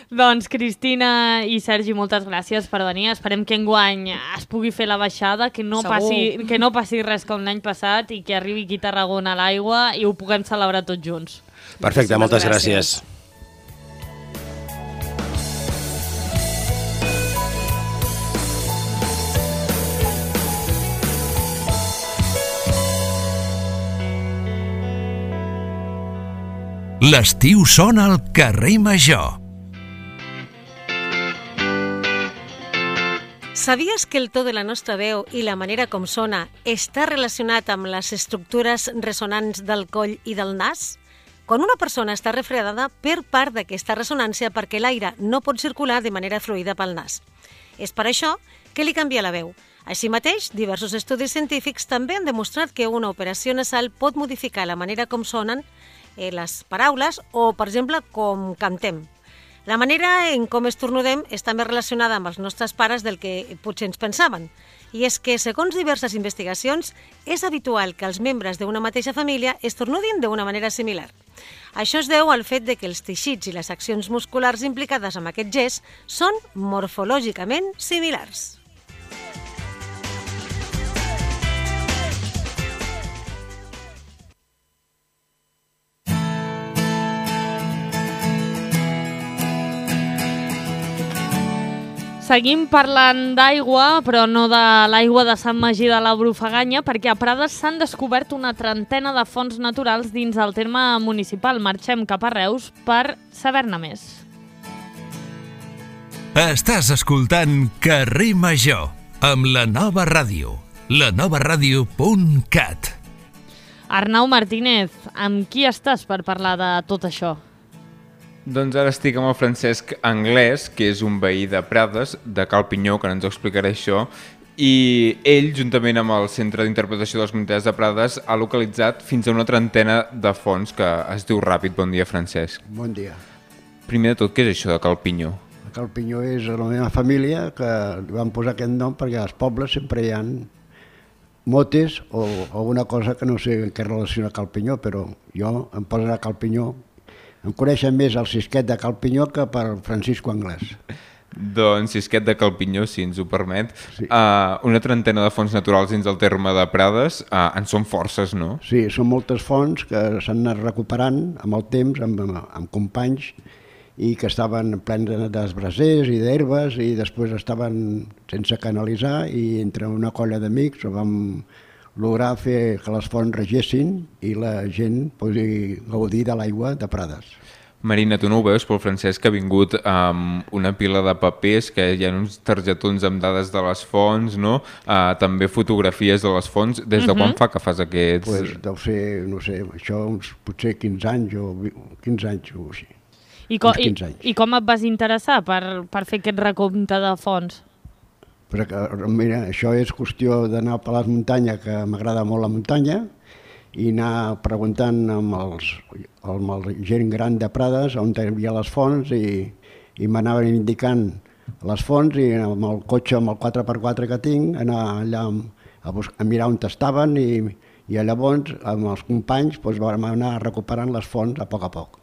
Doncs Cristina i Sergi, moltes gràcies per venir. Esperem que enguany es pugui fer la baixada, que no passi res com l'any passat i que arribi aquí a Tarragona a l'aigua i ho puguem celebrar tots junts. Perfecte, moltes gràcies. L'estiu sona al carrer Major. Sabies que el to de la nostra veu i la manera com sona està relacionat amb les estructures ressonants del coll i del nas? Quan una persona està refredada, perd part d'aquesta ressonància perquè l'aire no pot circular de manera fluida pel nas. És per això que li canvia la veu. Així mateix, diversos estudis científics també han demostrat que una operació nasal pot modificar la manera com sonen les paraules o, per exemple, com cantem. La manera en com estornudem està més relacionada amb els nostres pares del que potser ens pensaven. I és que, segons diverses investigacions, és habitual que els membres d'una mateixa família estornudin d'una manera similar. Això es deu al fet de que els teixits i les accions musculars implicades en aquest gest són morfològicament similars. Seguim parlant d'aigua, però no de l'aigua de Sant Magí de la Brufaganya, perquè a Prades s'han descobert una trentena de fonts naturals dins el terme municipal. Marxem cap a Reus per saber-ne més. Estàs escoltant Carrer Major, amb la Nova Ràdio, lanovaradio.cat. Arnau Martínez, amb qui estàs per parlar de tot això? Doncs ara estic amb el Francesc Anglès, que és un veí de Prades, de Cal Pinyó, que ens ho explicarà això, i ell, juntament amb el Centre d'Interpretació de les Comunitats de Prades, ha localitzat fins a una trentena de fonts que es diu ràpid. Bon dia, Francesc. Bon dia. Primer de tot, què és això de Cal Pinyó? Cal Pinyó és la meva família, que li van posar aquest nom perquè als pobles sempre hi ha motes o alguna cosa que no sé en què relaciona Cal Pinyó, però jo em posen a Cal Pinyó. Em coneixen més el Sisquet de Cal Pinyó que per Francisco Anglès. Doncs Sisquet de Cal Pinyó, si ens ho permet. Sí. Una trentena de fonts naturals dins del terme de Prades, en són forces, no? Sí, són moltes fonts que s'han anat recuperant amb el temps, amb companys, i que estaven plens d'esbrasers i d'herbes, i després estaven sense canalitzar, i entre una colla d'amics vam lograr fer que les fonts regessin i la gent pugui gaudir de l'aigua de Prades. Marina, tu no ho veus, però el Francesc ha vingut amb una pila de papers, que hi ha uns targetons amb dades de les fonts, no? També fotografies de les fonts. Des de quan fa que fas aquests...? Pues deu ser, no sé, això uns potser 15 anys o 15 anys o així. I com et vas interessar per fer aquest recompte de fonts? Perquè, mira, això és qüestió d'anar per les muntanyes, que m'agrada molt la muntanya, i anar preguntant amb la gent gran de Prades on hi havia les fonts, i m'anaven indicant les fonts, i amb el cotxe, amb el 4x4 que tinc, anar allà a mirar on estaven, i llavors amb els companys vam anar recuperant les fonts a poc.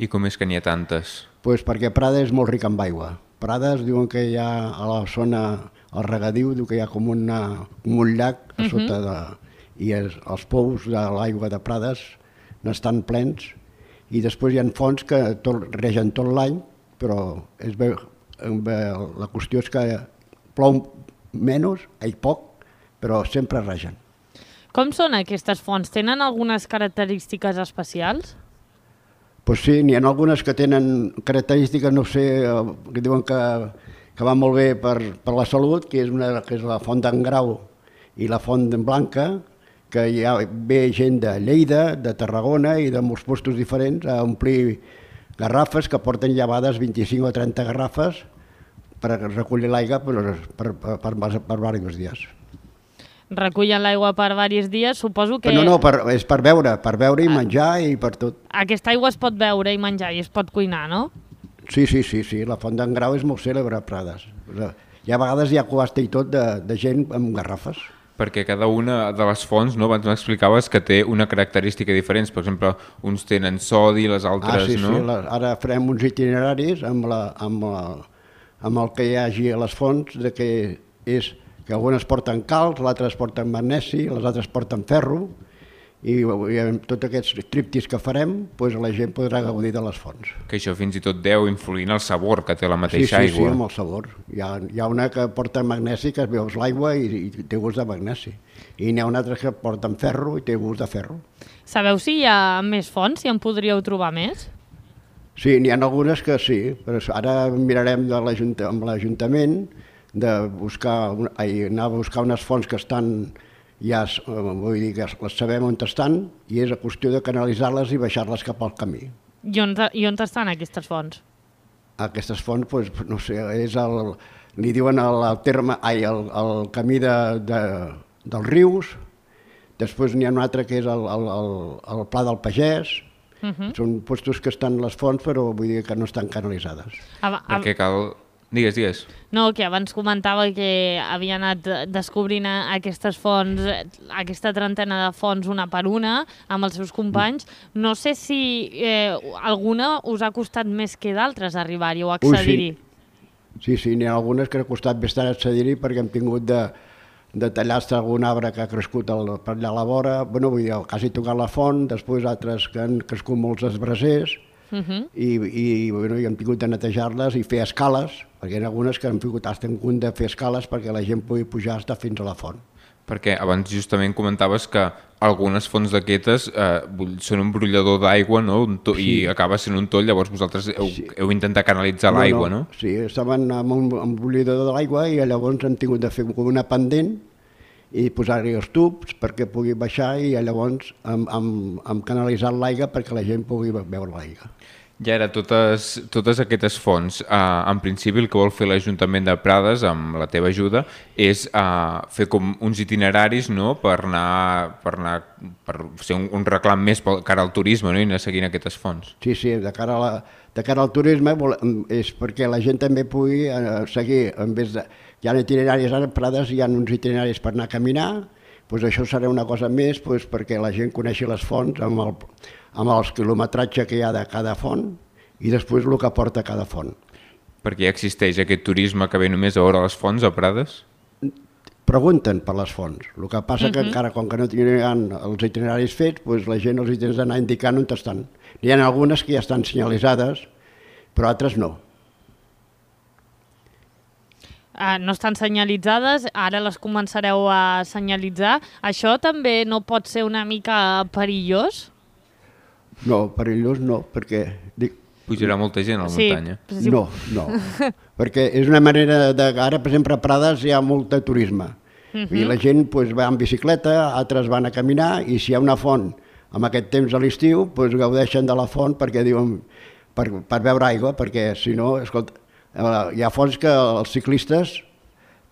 I com és que n'hi ha tantes? Pues perquè Prades és molt ric amb aigua. Prades diuen que hi ha a la zona, al regadiu, diu que hi ha com un llac a sota i els pous de l'aigua de Prades n'estan plens, i després hi ha fonts que regen tot l'any, però la qüestió és que plou menys, poc, però sempre ragen. Com són aquestes fonts? Tenen algunes característiques especials? Pues sí, n'hi ha algunes que tenen característiques, no sé, que diuen que va molt bé per la salut, que és la font d'en Grau i la font d'en Blanca, que hi ve gent de Lleida, de Tarragona i de molts puestos diferents a omplir garrafes que porten llevades 25 o 30 garrafes per recollir l'aigua per diversos dies. Recullen l'aigua per diversos dies, suposo que... No, és per beure i menjar i per tot. Aquesta aigua es pot beure i menjar i es pot cuinar, no? Sí, la font d'en Grau és molt cèlebre a Prades. Hi ha vegades hi ha cubasta i tot de gent amb garrafes. Perquè cada una de les fonts, no, abans m'explicaves que té una característica diferent. Per exemple, uns tenen sodi, les altres no. Sí, ara farem uns itineraris amb el que hi hagi a les fonts, que algunes porten calç, l'altres porten magnesi, les altres porten ferro, i amb tots aquests tríptics que farem, la gent podrà gaudir de les fonts. Que això fins i tot deu influir en el sabor que té la mateixa aigua. Sí, amb el sabor. Hi ha una que porta magnesi, que es veus l'aigua i té gust de magnesi. I n'hi ha una altra que porta ferro i té gust de ferro. Sabeu si hi ha més fonts, si en podríeu trobar més? Sí, n'hi ha algunes que sí, però ara mirarem amb l'Ajuntament anar a buscar unes fonts que estan, vull dir que les sabem on estan, i és a qüestió de canalitzar-les i baixar-les cap al camí. I on estan aquestes fonts? Aquestes fonts, no sé, li diuen el camí dels rius, després n'hi ha un altre que és el Pla del Pagès. Són puestos que estan les fonts, però vull dir que no estan canalitzades. Perquè cal... Digues. No, que abans comentava que havia anat descobrint aquestes fonts, aquesta trentena de fonts una per una, amb els seus companys. No sé si alguna us ha costat més que d'altres arribar-hi o accedir-hi. Sí, n'hi ha algunes que ha costat bastant accedir-hi perquè hem tingut de tallar-se algun arbre que ha crescut per allà a la vora, vull dir, quasi tocar la font, després altres que han crescut molts esbrasers, i hem tingut de netejar-les i fer escales, perquè hi ha algunes que hem tingut de fer escales perquè la gent pugui pujar fins a la font. Perquè abans justament comentaves que algunes fonts d'aquestes són un brollador d'aigua, no? I acaba sent un toll, llavors vosaltres heu intentat canalitzar l'aigua, no? Sí, estaven amb un brollador de l'aigua i llavors hem tingut de fer una pendent i posar-hi els tubs perquè pugui baixar i llavors hem canalitzat l'aigua perquè la gent pugui beure l'aigua. I ara, totes aquestes fonts, en principi el que vol fer l'Ajuntament de Prades, amb la teva ajuda, és fer com uns itineraris, no?, per fer un reclam més cara al turisme, no?, i anar seguint aquestes fonts. Sí, de cara al turisme és perquè la gent també pugui seguir, en vez de... Hi ha itineraris, ara a Prades hi ha uns itineraris per anar a caminar, això serà una cosa més perquè la gent coneixi les fonts amb el quilometratge que hi ha de cada font i després el que porta cada font. Perquè ja existeix aquest turisme que ve només a veure les fonts a Prades? Pregunten per les fonts. El que passa que encara, com que no tindran els itineraris fets, la gent els tens d'anar indicant on estan. N'hi ha algunes que ja estan senyalitzades, però altres no. No estan senyalitzades, ara les començareu a senyalitzar. Això també no pot ser una mica perillós? No, perillós no, perquè... Pujarà molta gent a la muntanya. No, perquè és una manera de... Ara, per exemple, a Prades hi ha molt de turisme. I la gent va en bicicleta, altres van a caminar, i si hi ha una font amb aquest temps a l'estiu, gaudeixen de la font perquè diuen per beure aigua, perquè si no, escolta, hi ha fonts que els ciclistes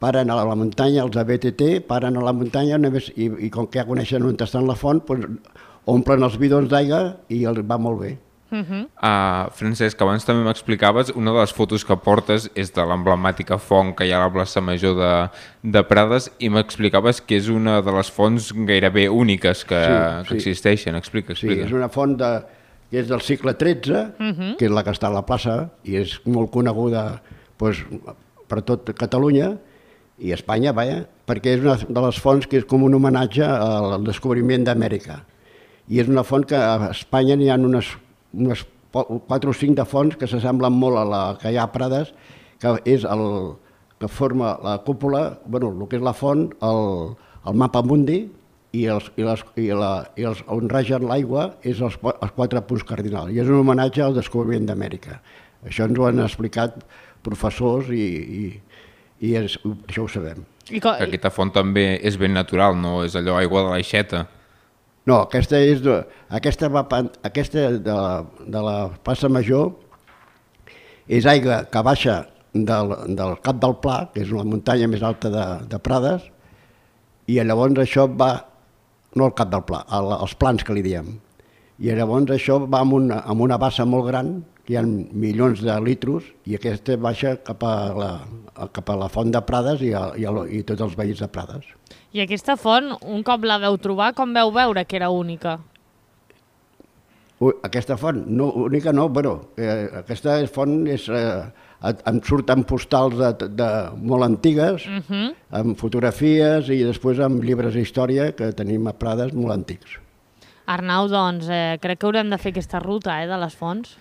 paren a la muntanya, els ABTT, paren a la muntanya i com que ja coneixen on està la font, omplen els bidons d'aigua i va molt bé. Francesc, abans també m'explicaves, una de les fotos que portes és de l'emblemàtica font que hi ha a la plaça Major de Prades i m'explicaves que és una de les fonts gairebé úniques que existeixen. Explica. Sí, és una font que és del segle XIII, que és la que està a la plaça i és molt coneguda per tot Catalunya i Espanya, perquè és una de les fonts que és com un homenatge al descobriment d'Amèrica. I és una font que a Espanya n'hi ha unes 4 o 5 de fonts que s'assemblen molt a la que hi ha a Prades, que és que forma la cúpula, el que és la font, el mapa mundi, i on ragen l'aigua és els 4 punts cardinals. I és un homenatge al descobriment d'Amèrica. Això ens ho han explicat professors i això ho sabem. Aquesta font també és ben natural, no és allò aigua de l'aixeta. No, aquesta de la Plaça Major és aigua que baixa del Cap del Pla, que és la muntanya més alta de Prades, i llavors això va, no al Cap del Pla, als plans que li diem, i llavors això va amb una bassa molt gran, que hi ha milions de litros, i aquesta baixa cap a la font de Prades i tots els veïns de Prades. I aquesta font, un cop la veu trobar, com veu veure que era única? Aquesta font, única no, aquesta font em surten postals molt antigues, amb fotografies i després amb llibres d'història que tenim a Prades molt antics. Arnau, doncs, crec que haurem de fer aquesta ruta de les fonts.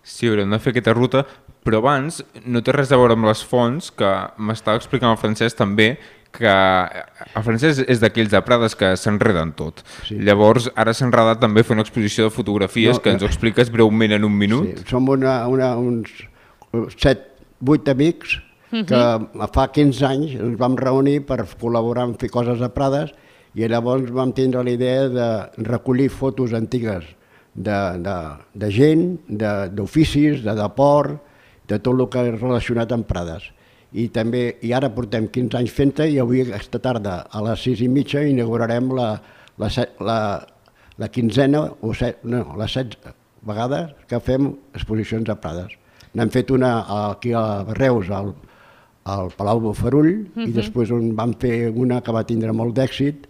Sí, haurem de fer aquesta ruta, però abans no té res a veure amb les fonts, que m'estava explicant el Francesc també, que el Francesc és d'aquells de Prades que s'enreden tot. Sí. Llavors, ara s'ha enredat també fer una exposició de fotografies que ens ho expliques breument en un minut. Sí, som uns 7-8 amics que fa 15 anys ens vam reunir per col·laborar en fer coses a Prades i llavors vam tindre la idea de recollir fotos antigues de gent, d'oficis, de deport, de tot el que és relacionat amb Prades. I ara portem 15 anys fent-te i avui aquesta tarda a les 6:30 inaugurarem la quinzena o les 16 vegades que fem exposicions a Prades. N'hem fet una aquí a Reus, al Palau Bofarull, i després vam fer una que va tindre molt d'èxit,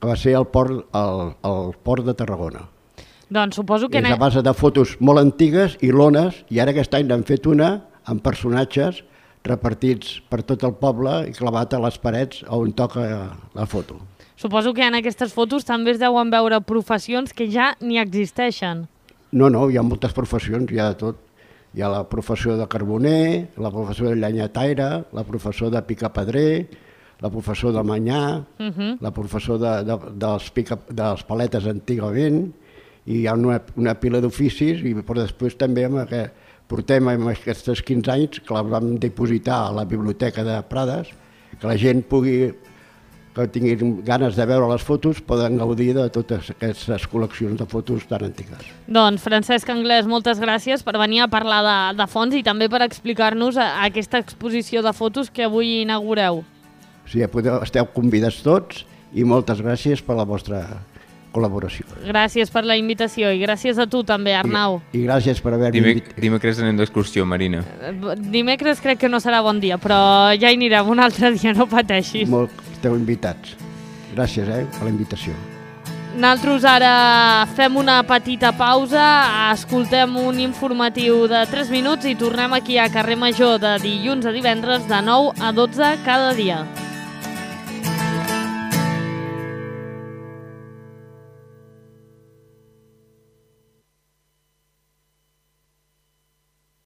que va ser al port de Tarragona. Doncs suposo que... És a base de fotos molt antigues i lones, i ara aquest any n'hem fet una amb personatges repartits per tot el poble i clavat a les parets on toca la foto. Suposo que en aquestes fotos també es deuen veure professions que ja ni existeixen. No, hi ha moltes professions, hi ha de tot. Hi ha la professió de carboner, la professió de llenyataire, la professió de picapedrer, la professió de manyà, la professió dels paletes antigament, i hi ha una pila d'oficis, però després també portem aquests 15 anys que la vam dipositar a la Biblioteca de Prades, que la gent que tinguin ganes de veure les fotos poden gaudir de totes aquestes col·leccions de fotos tan antigues. Doncs Francesc Anglès, moltes gràcies per venir a parlar de fonts i també per explicar-nos aquesta exposició de fotos que avui inaugureu. Sí, esteu convidats tots i moltes gràcies per la vostra col·laboració. Gràcies per la invitació i gràcies a tu també, Arnau. I gràcies per haver-me invitat. Dimecres anem d'excursió, Marina. Dimecres crec que no serà bon dia, però ja hi anirem un altre dia, no pateixis. Esteu invitats. Gràcies per la invitació. Nosaltres ara fem una petita pausa, escoltem un informatiu de 3 minuts i tornem aquí a Carrer Major de dilluns a divendres de 9 a 12 cada dia.